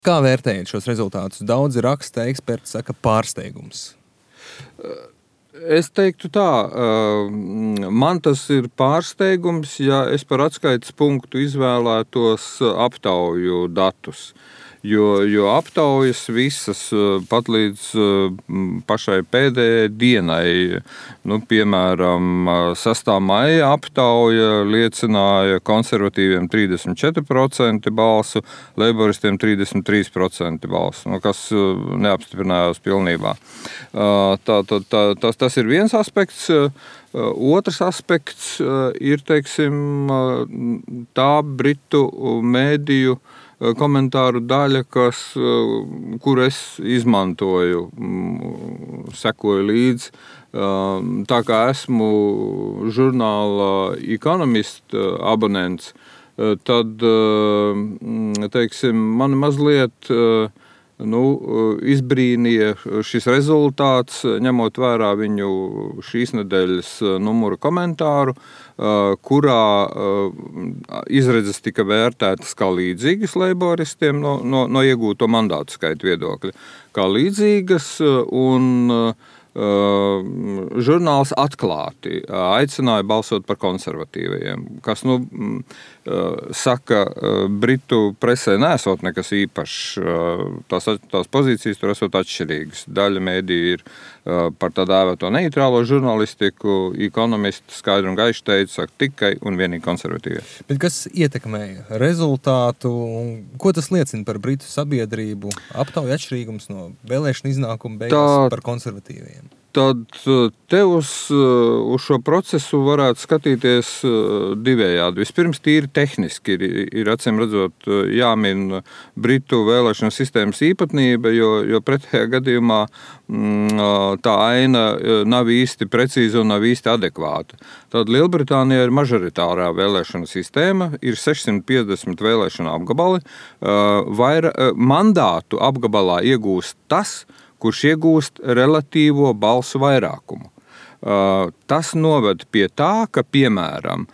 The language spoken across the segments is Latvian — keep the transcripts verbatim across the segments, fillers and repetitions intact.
Kā vērtējat šos rezultātus? Daudzi raksta, eksperti saka pārsteigums. Es teiktu tā, man tas ir pārsteigums, ja es par atskaites punktu izvēlētos aptauju datus. Jo, jo aptaujas visas pat līdz pašai pēdējai dienai, nu, piemēram, sastā maija aptauja liecināja konservatīviem trīsdesmit četri procenti balsu, leiboristiem trīsdesmit trīs procenti balsu, nu, kas neapstiprinājās pilnībā. Tā, tā, tā, tas, tas ir viens aspekts. Otrs aspekts ir, teiksim, tā britu mēdīju komentāru daļa, kas, kur es izmantoju, sekoju līdzi. Tā kā esmu žurnāla Economist abonents, tad, teiksim, man mazliet nu, izbrīnīja šis rezultāts, ņemot vērā viņu šīs nedēļas numura komentāru, kurā izredzes tika vērtētas kā līdzīgas leiboristiem no, no, no iegūto mandātu skaita viedokļa, kā līdzīgas, un žurnāls atklāti aicināja balsot par konservatīvajiem, kas, nu, saka, Britu presē nesot nekas īpašs, tās, tās pozīcijas tur esot atšķirīgas. Daļa mēdīja ir par tā dēvēto neitrālo žurnalistiku, Economist skaidri un gaiši teica, saka, tikai un vienīgi konservatīvie. Bet kas ietekmēja rezultātu, un ko tas liecina par Britu sabiedrību? Aptauja atšķirīgums no vēlēšana iznākuma beigās tā, par konservatīviem. Tad te uz, uz šo procesu varētu skatīties divējādi. Vispirms tīri tehniski ir, ir acīm redzot jāmin Britu vēlēšanu sistēmas īpatnība, jo, jo pretējā gadījumā tā aina nav īsti precīza un nav īsti adekvāta. Tad Lielbritānijā ir mažoritārā vēlēšana sistēma, ir sešsimt piecdesmit vēlēšana apgabali, vaira, mandātu apgabalā iegūst tas, kurš iegūst relatīvo balsu vairākumu. Tas noved pie tā, ka, piemēram,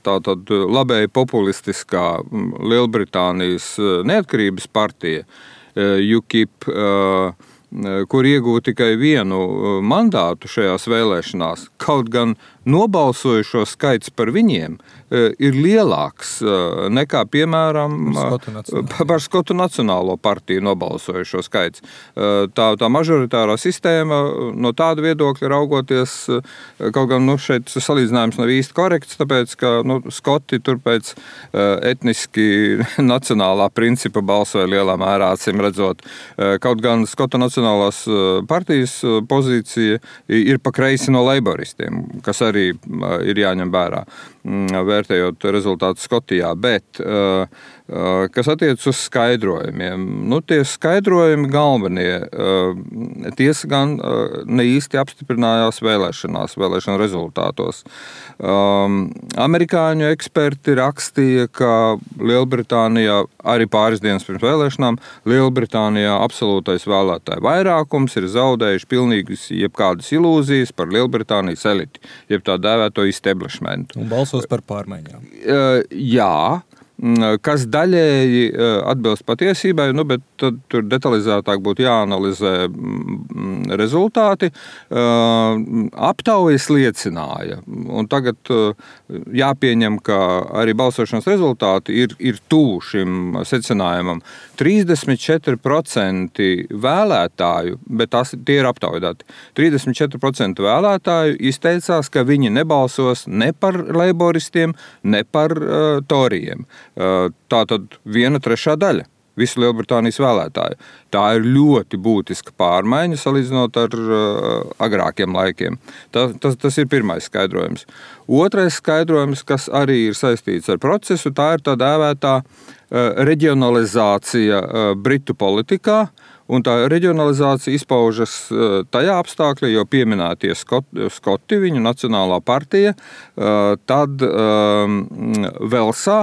tātad labēji populistiskā Lielbritānijas neatkarības partija U K I P, kur iegūta tikai vienu mandātu šajās vēlēšanās, kaut gan nobalsojušo skaits par viņiem ir lielāks nekā, piemēram, par Skotu Nacionālo partiju nobalsojušo skaits. Tā, tā mažoritārā sistēma no tāda viedokļa raugoties, kaut gan, nu, šeit salīdzinājums nav īsti korekts, tāpēc, ka, nu, Skoti tur pēc etniski nacionālā principa balsoja lielā mērā, acīm redzot. Kaut gan Skotu Nacionālās partijas pozīcija ir pa kreisi no leiboristiem, kas arī ir jāņem vērā, vērtējot rezultātu Skotijā, bet kas attiec uz skaidrojumiem. Nu, tie skaidrojumi galvenie, tiesa gan ne īsti apstiprinājās vēlēšanās, vēlēšanu rezultātos. Amerikāņu eksperti rakstīja, ka Lielbritānijā, arī pāris dienas pirms vēlēšanām, Lielbritānijā absolūtais vēlētāju vairākums ir zaudējuši pilnīgas jebkādas ilūzijas par Lielbritānijas eliti, jeb tā dēvēto establishmentu. Un balsos par pārmaiņām. Jā, kas daļēji atbilst patiesībai, nu, bet tad tur detalizētāk būtu jāanalizē rezultāti. Aptaujas liecināja, un tagad jāpieņem, ka arī balsošanas rezultāti ir, ir tuvu šim secinājumam. trīsdesmit četri procenti vēlētāju, bet tās, tie ir aptaujāti, trīsdesmit četri procenti vēlētāju izteicās, ka viņi nebalsos ne par leiboristiem, ne par uh, torijiem. Tā tad viena trešā daļa visu Lielbritānijas vēlētāju. Tā ir ļoti būtiska pārmaiņa salīdzinot ar uh, agrākiem laikiem. Tas, tas, tas ir pirmais skaidrojums. Otrais skaidrojums, kas arī ir saistīts ar procesu, tā ir tā dēvētā uh, reģionalizācija uh, Britu politikā. Un tā reģionalizācija izpaužas tajā apstākļā, jo pieminētie Skoti, Skoti viņu nacionālā partija, tad Velsā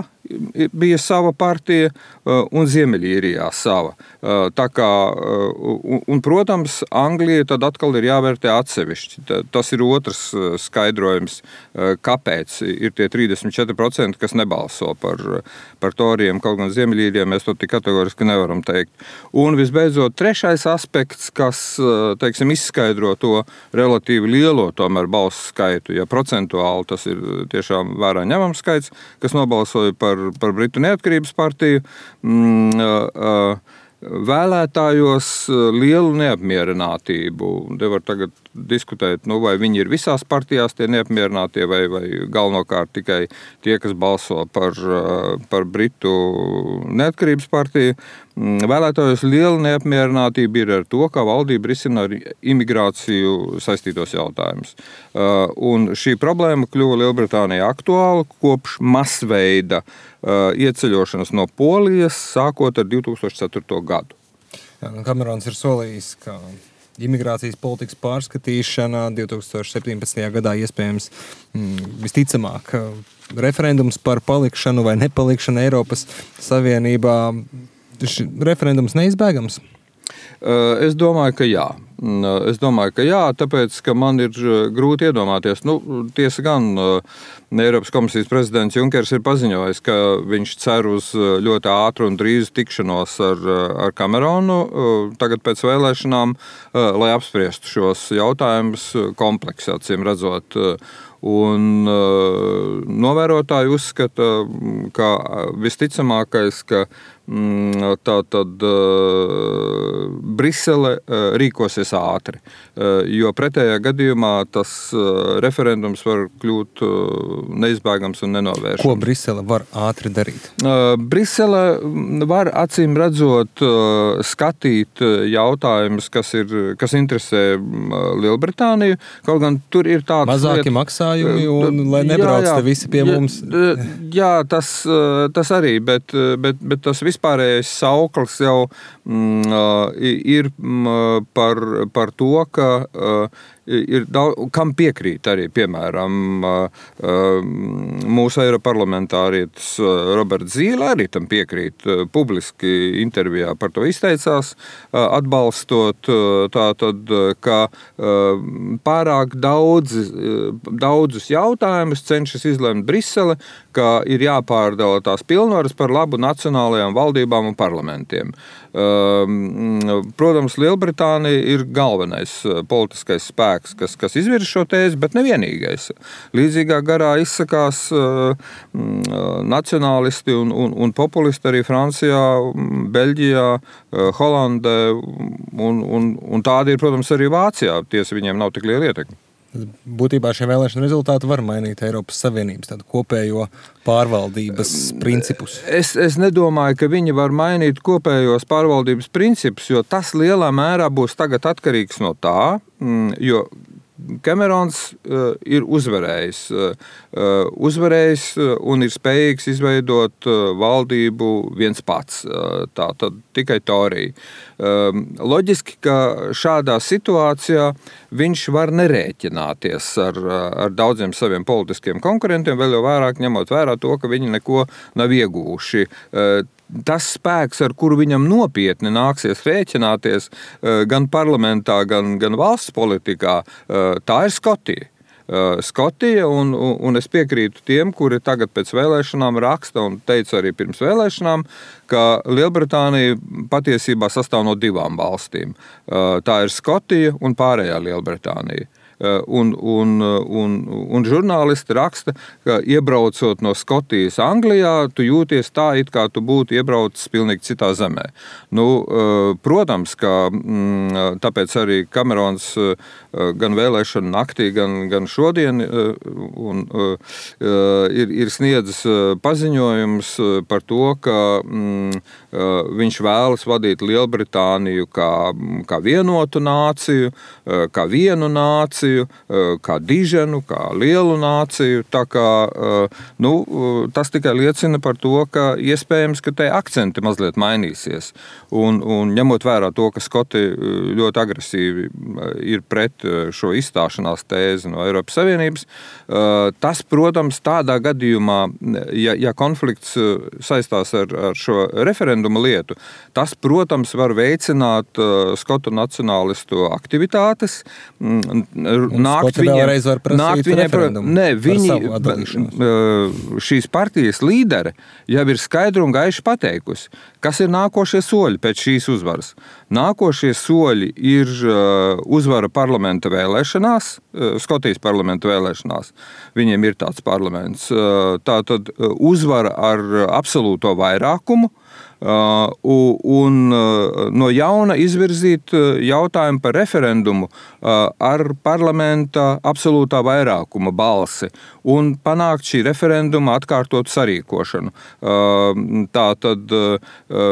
bija sava partija un Ziemeļīrijā sava. Tā kā, un, un, protams, Anglija tad atkal ir jāvērtē atsevišķi. Tas ir otrs skaidrojums, kāpēc ir tie trīsdesmit četri procenti, kas nebalso par, par Toriem, kaut gan Ziemeļīrijā mēs to tik kategoriski nevaram teikt. Un visbeidzot, trešais aspekts, kas, teiksim, izskaidro to relatīvi lielo tomēr balsu skaitu, ja procentuāli tas ir tiešām vērā ņemams skaits, kas nobalsoja par, par Britu neatkarības partiju, mm, vēlētājos lielu neapmierinātību. Te var tagad diskutēt, nu, vai viņi ir visās partijās tie neapmierinātie, vai, vai galvenokārt tikai tie, kas balso par, par Britu neatkarības partiju. Vēlētājos liela neapmierinātība ir ar to, kā valdība risina ar imigrāciju saistītos jautājumus. Un šī problēma kļuva Lielbritānijā aktuāla kopš masveida ieceļošanas no Polijas, sākot ar divi tūkstoši ceturto gadu. Jā, Kamerons ir solījis, ka imigrācijas politikas pārskatīšana divi tūkstoši septiņpadsmitajā gadā iespējams mm, visticamāk referendums par palikšanu vai nepalikšanu Eiropas Savienībā. Šis referendums neizbēgams? Es domāju, ka jā. Es domāju, ka jā, tāpēc, ka man ir grūti iedomāties. Nu, tiesa gan, Eiropas komisijas prezidents Junkers ir paziņojis, ka viņš cer uz ļoti ātru un drīzu tikšanos ar, ar Kameronu tagad pēc vēlēšanām, lai apspriestu šos jautājumus kompleksi, acīm redzot. Un novērotāji uzskata, ka visticamākais, ka tā tad Brisele rīkosies ātri, jo pretējā gadījumā tas referendums var kļūt neizbēgams un nenovēršams. Ko Brisele var ātri darīt? Brisele var acīm redzot skatīt jautājumus, kas, ir, kas interesē Lielbritāniju, kaut gan tur ir tāds mazāki liet... maksājumi un lai nebrauc te visi pie jā, mums. Jā, tas, tas arī, bet, bet, bet tas vispārējais sauklis jau mm, ir mm, par, par to, ka uh, ir daudz, kam piekrīt arī, piemēram, mūsu eiroparlamentārietis Roberts Zīle arī tam piekrīt, publiski intervijā par to izteicās, atbalstot tātad, ka pārāk daudz, daudzus jautājumus cenšas izlemt Brisele, ka ir jāpārdala tās pilnvaras par labu nacionālajām valdībām un parlamentiem. Protams, Lielbritānija ir galvenais politiskais spēks, kas, kas izvirza šo tēzi, bet nevienīgais. Līdzīgā garā izsakās nacionālisti un, un, un populisti arī Francijā, Beļģijā, Holandē, un, un, un tādi ir, protams, arī Vācijā. Tiesa, viņiem nav tik liela ietekme. Būtībā šie vēlēšana rezultāti var mainīt Eiropas Savienības tādu kopējo pārvaldības principus. Es, es nedomāju, ka viņi var mainīt kopējos pārvaldības principus, jo tas lielā mērā būs tagad atkarīgs no tā, jo Kamerons uh, ir uzvarējis, uh, uzvarējis un ir spējīgs izveidot uh, valdību viens pats, uh, tā tad tikai Torija. Uh, loģiski, ka šādā situācijā viņš var nerēķināties ar, ar daudziem saviem politiskiem konkurentiem, vēl jau vairāk ņemot vērā to, ka viņi neko nav ieguvuši. Uh, Tas spēks, ar kuru viņam nopietni nāksies rēķināties gan parlamentā, gan, gan valsts politikā, tā ir Skotija. Skotija, un, un es piekrītu tiem, kuri tagad pēc vēlēšanām raksta un teica arī pirms vēlēšanām, ka Lielbritānija patiesībā sastāv no divām valstīm. Tā ir Skotija un pārējā Lielbritānija. Un, un, un, un žurnālisti raksta, ka iebraucot no Skotijas Anglijā, tu jūties tā, it kā tu būtu iebraucis pilnīgi citā zemē. Nu, protams, ka tāpēc arī Kamerons gan vēlēšanu naktī, gan, gan šodien un, ir, ir sniedzis paziņojums par to, ka mm, viņš vēlas vadīt Lielbritāniju kā, kā vienotu nāciju, kā vienu nāciju, nāciju, kā diženu, kā lielu nāciju. Tā kā, nu, tas tikai liecina par to, ka iespējams, ka te akcenti mazliet mainīsies. Un, un ņemot vērā to, ka Skoti ļoti agresīvi ir pret šo izstāšanās tēzi no Eiropas Savienības, tas, protams, tādā gadījumā, ja, ja konflikts saistās ar, ar šo referendumu lietu, tas, protams, var veicināt Skotu nacionālistu aktivitātes. Nākt viņiem, nākt viņiem, ne, viņi, šīs partijas līdere jau ir skaidri un gaiši pateikusi, kas ir nākošie soļi pēc šīs uzvaras. Nākošie soļi ir uzvara parlamenta vēlēšanās, Skotijas parlamenta vēlēšanās. Viņiem ir tāds parlaments. Tātad uzvara ar absolūto vairākumu. Uh, un uh, no jauna izvirzīt jautājumu par referendumu uh, ar parlamenta absolūtā vairākuma balsi un panākt šī referenduma atkārtotu sarīkošanu. Uh, tā tad, uh,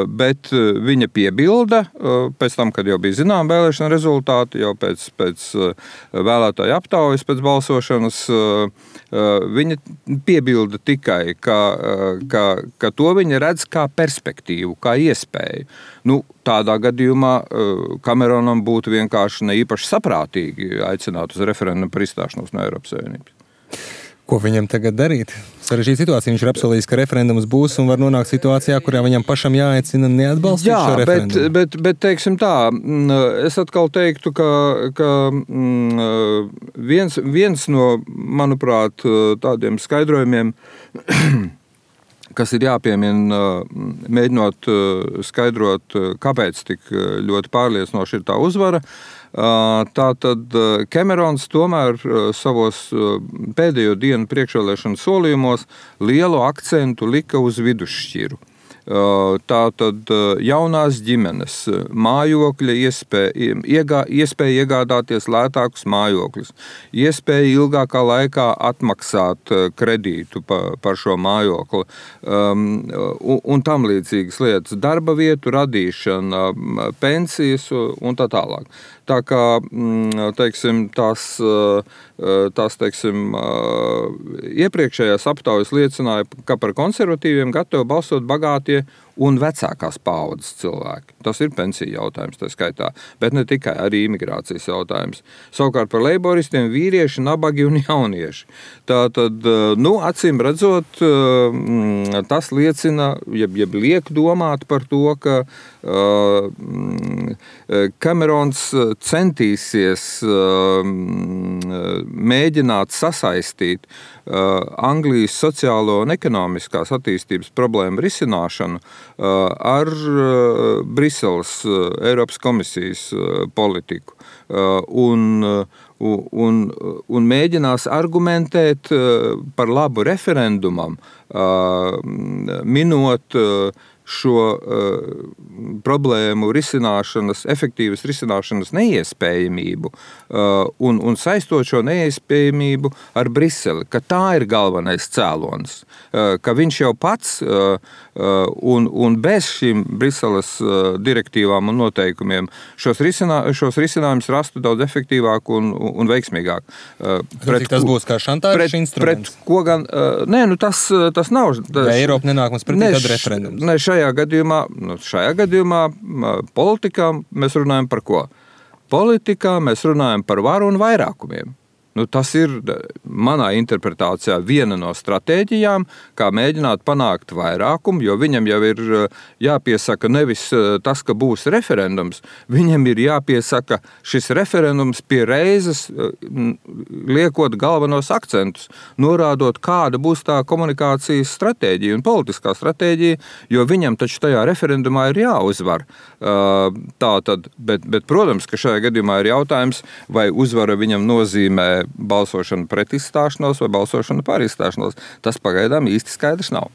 bet viņa piebilda, uh, pēc tam, kad jau bija zinām vēlēšana rezultāti, jau pēc, pēc uh, vēlētāju aptaujas, pēc balsošanas, uh, uh, viņa piebilda tikai, ka, uh, ka, ka to viņa redz kā perspektīvu, kā iespēju. Nu, tādā gadījumā Kameronam būtu vienkārši ne īpaši saprātīgi aicināt uz referendumu par izstāšanos no Eiropas Savienības. Ko viņam tagad darīt? Sarežģīta situācija. Viņš ir apsolījis, ka referendums būs un var nonākt situācijā, kurā viņam pašam jāaicina neatbalstīt Jā, šo referendumu. Jā, bet, bet, bet teiksim tā, es atkal teiktu, ka, ka viens, viens no, manuprāt, tādiem skaidrojumiem, kas ir jāpiemina, mēģinot skaidrot, kāpēc tik ļoti pārliecinoši ir tā uzvara. Tātad Kamerons tomēr savos pēdējo dienu priekšvēlēšanu solījumos lielu akcentu lika uz vidusšķiru. Tātad jaunās ģimenes, mājokļa iespēja, iegā, iespēja iegādāties lētākus mājokļus, iespēja ilgākā laikā atmaksāt kredītu par, par šo mājokli um, un, un tam līdzīgas lietas, darba vietu radīšana, pensijas un tā tālāk. Tā kā, teiksim, tās, tās teiksim, iepriekšējās aptaujas liecināja, ka par konservatīviem gatavi balsot bagātie un vecākās paaudzes cilvēki. Tas ir pensiju jautājums, tā skaitā, bet ne tikai, arī imigrācijas jautājums. Savukārt par leiboristiem vīrieši, nabagi un jaunieši. Tātad, nu, acīm redzot, tas liecina, jeb, jeb liek domāt par to, ka uh, Kamerons centīsies uh, mēģināt sasaistīt uh, Anglijas sociālo un ekonomiskās attīstības problēmu risināšanu ar Briseles Eiropas komisijas politiku un, un, un mēģinās argumentēt par labu referendumam, minot šo uh, problēmu risināšanas, efektīvas risināšanas neiespējamību uh, un, un saistot šo neiespējamību ar Briseli, ka tā ir galvenais cēlonis, uh, ka viņš jau pats uh, uh, un, un bez šīm Briseles uh, direktīvām un noteikumiem šos, risinā, šos risinājumus rastu daudz efektīvāk un, un veiksmīgāk. Uh, pret, tas būs kā šantāžas instruments? Pret ko gan? Uh, nē, nu tas, tas nav. Tas, ja Eiropa nenāk mums pretī, tad referendums. Ne, šajā gadījumā, nu, šajā gadījumā politikā mēs runājam par ko? Politikā mēs runājam par varu un vairākumiem. Nu, tas ir manā interpretācijā viena no stratēģijām, kā mēģināt panākt vairākumu, jo viņam jau ir jāpiesaka nevis tas, ka būs referendums, viņam ir jāpiesaka šis referendums pie reizes, liekot galvenos akcentus, norādot, kāda būs tā komunikācijas stratēģija un politiskā stratēģija, jo viņam taču tajā referendumā ir jāuzvar. Tā tad, bet, bet, protams, ka šajā gadījumā ir jautājums, vai uzvara viņam nozīmē balsošana pret izstāšanos vai balsošana par izstāšanos. Tas pagaidām īsti skaidrs nav.